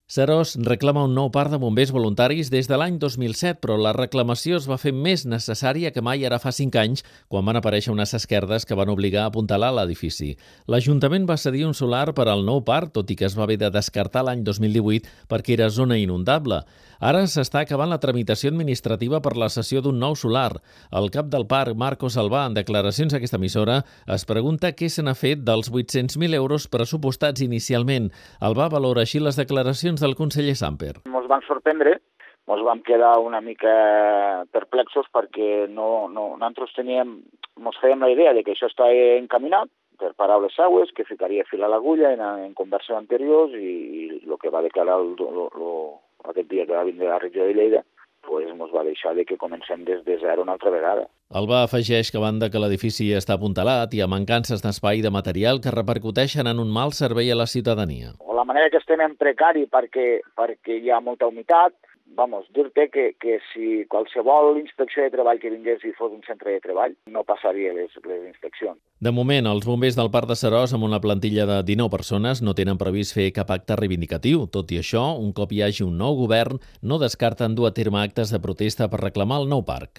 Seròs reclama un nou parc de bombers voluntaris des de l'any 2007, però la reclamació es va fer més necessària que mai ara fa 5 anys, quan van aparèixer unes esquerdes que van obligar a apuntalar l'edifici. L'Ajuntament va cedir un solar per al nou parc, tot i que es va haver de descartar l'any 2018 perquè era zona inundable. Ara s'està acabant la tramitació administrativa per la cessió d'un nou solar. El cap del parc, Marco Salvà, en declaracions a aquesta emissora, es pregunta què se n'ha fet dels 800.000 euros pressupostats inicialment. El va valorar així les declaracions del conseller Samper. Ens van sorprendre, ens vam quedar una mica perplexos perquè nosaltres ens fèiem la idea de que això està encaminat, per paraules seues, que ficaria fil a l'agulla en converses anteriors i el que va declarar aquest dia que va vindre a la regió de Lleida ens va deixar que comencem des de zero una altra vegada. Alba afegeix que a banda que l'edifici està apuntalat i a mancances d'espai i de material que repercuteixen en un mal servei a la ciutadania. La manera que estem en precari perquè hi ha molta humitat, dir-te que si qualsevol inspecció de treball que vingués i fos un centre de treball, no passaria les inspeccions. De moment, els bombers del Parc de Seròs, amb una plantilla de 19 persones, no tenen previst fer cap acte reivindicatiu. Tot i això, un cop hi hagi un nou govern, no descarten dur a terme actes de protesta per reclamar el nou parc.